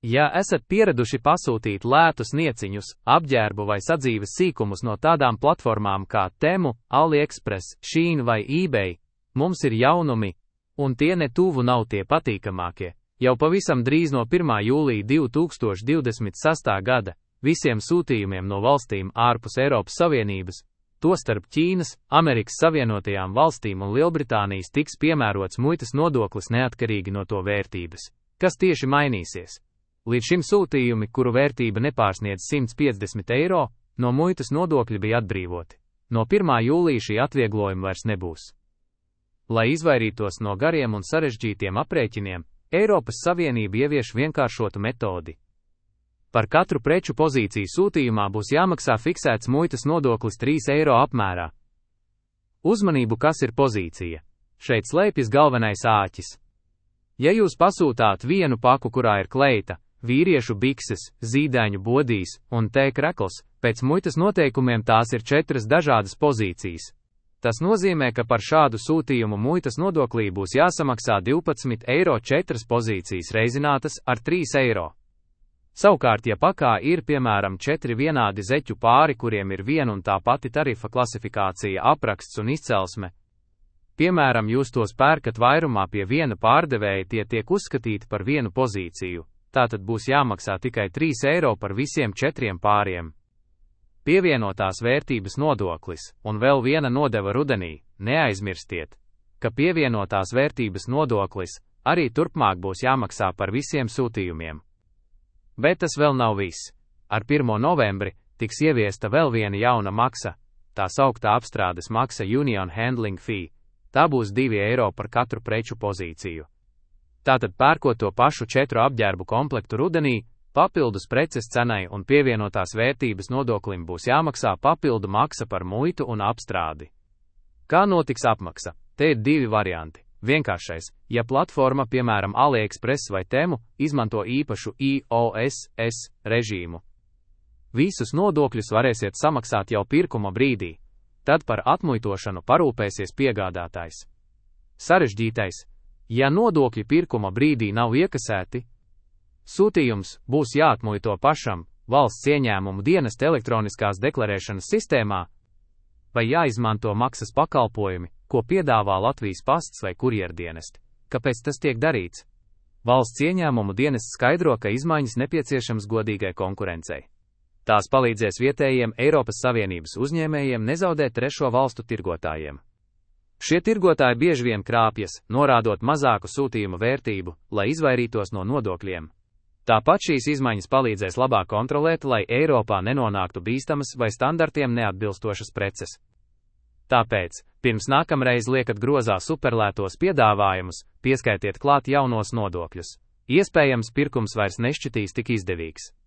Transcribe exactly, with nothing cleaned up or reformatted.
Ja esat pieraduši pasūtīt lētus nieciņus, apģērbu vai sadzīves sīkumus no tādām platformām kā Temu, AliExpress, Shein vai eBay, mums ir jaunumi, un tie ne tuvu nav tie patīkamākie. Jau pavisam drīz no pirmā jūlija divi tūkstoši divdesmit sestā gada visiem sūtījumiem no valstīm ārpus Eiropas Savienības, tostarp Ķīnas, Amerikas Savienotajām valstīm un Lielbritānijas, tiks piemērots muitas nodoklis neatkarīgi no to vērtības. Kas tieši mainīsies? Līdz šim sūtījumi, kuru vērtība nepārsniedz simt piecdesmit eiro, no muitas nodokļa bija atbrīvoti. No pirmā jūlija šī atvieglojuma vairs nebūs. Lai izvairītos no gariem un sarežģītiem aprēķiniem, Eiropas Savienība ievieš vienkāršotu metodi. Par katru preču pozīciju sūtījumā būs jāmaksā fiksēts muitas nodoklis trīs eiro apmērā. Uzmanību, kas ir pozīcija? Šeit slēpjas galvenais āķis. Ja jūs pasūtāt vienu paku, kurā ir kleita, vīriešu bikses, zīdaiņu bodīs un tēkrekls, pēc muitas noteikumiem tās ir četras dažādas pozīcijas. Tas nozīmē, ka par šādu sūtījumu muitas nodoklī būs jāsamaksā divpadsmit eiro četras pozīcijas reizinātas ar trīs eiro. Savukārt, ja pakā ir piemēram četri vienādi zeķu pāri, kuriem ir viena un tā pati tarifa klasifikācija, apraksts un izcelsme, piemēram, jūs tos pērkat vairumā pie viena pārdevēja, tie tiek uzskatīti par vienu pozīciju, tātad būs jāmaksā tikai trīs eiro par visiem četriem pāriem. Pievienotās vērtības nodoklis, un vēl viena nodeva rudenī, neaizmirstiet, ka pievienotās vērtības nodoklis arī turpmāk būs jāmaksā par visiem sūtījumiem. Bet tas vēl nav viss. Ar pirmo novembri tiks ieviesta vēl viena jauna maksa, tā sauktā apstrādes maksa Union Handling Fee. Tā būs divi eiro par katru preču pozīciju. Tātad pērkot to pašu četru apģērbu komplektu rudenī, papildus preces cenai un pievienotās vērtības nodoklim būs jāmaksā papildu maksa par muitu un apstrādi. Kā notiks apmaksa? Te ir divi varianti. Vienkāršais, ja platforma, piemēram AliExpress vai Temu, izmanto īpašu I O S S režīmu. Visus nodokļus varēsiet samaksāt jau pirkuma brīdī. Tad par atmuitošanu parūpēsies piegādātājs. Sarežģītais, ja nodokļi pirkuma brīdī nav iekasēti, sūtījums būs jāatmuito pašam valsts ieņēmumu dienesta elektroniskās deklarēšanas sistēmā, vai jāizmanto maksas pakalpojumi, ko piedāvā Latvijas pasts vai kurjerdienesti. Kāpēc tas tiek darīts? Valsts ieņēmumu dienests skaidro, ka izmaiņas nepieciešams godīgai konkurencei. Tās palīdzēs vietējiem Eiropas Savienības uzņēmējiem nezaudēt trešo valstu tirgotājiem. Šie tirgotāji bieži vien krāpjas, norādot mazāku sūtījumu vērtību, lai izvairītos no nodokļiem. Tāpat šīs izmaiņas palīdzēs labāk kontrolēt, lai Eiropā nenonāktu bīstamas vai standartiem neatbilstošas preces. Tāpēc, pirms nākamreiz liekat grozā superlētos piedāvājumus, pieskaitiet klāt jaunos nodokļus. Iespējams, pirkums vairs nešķitīs tik izdevīgs.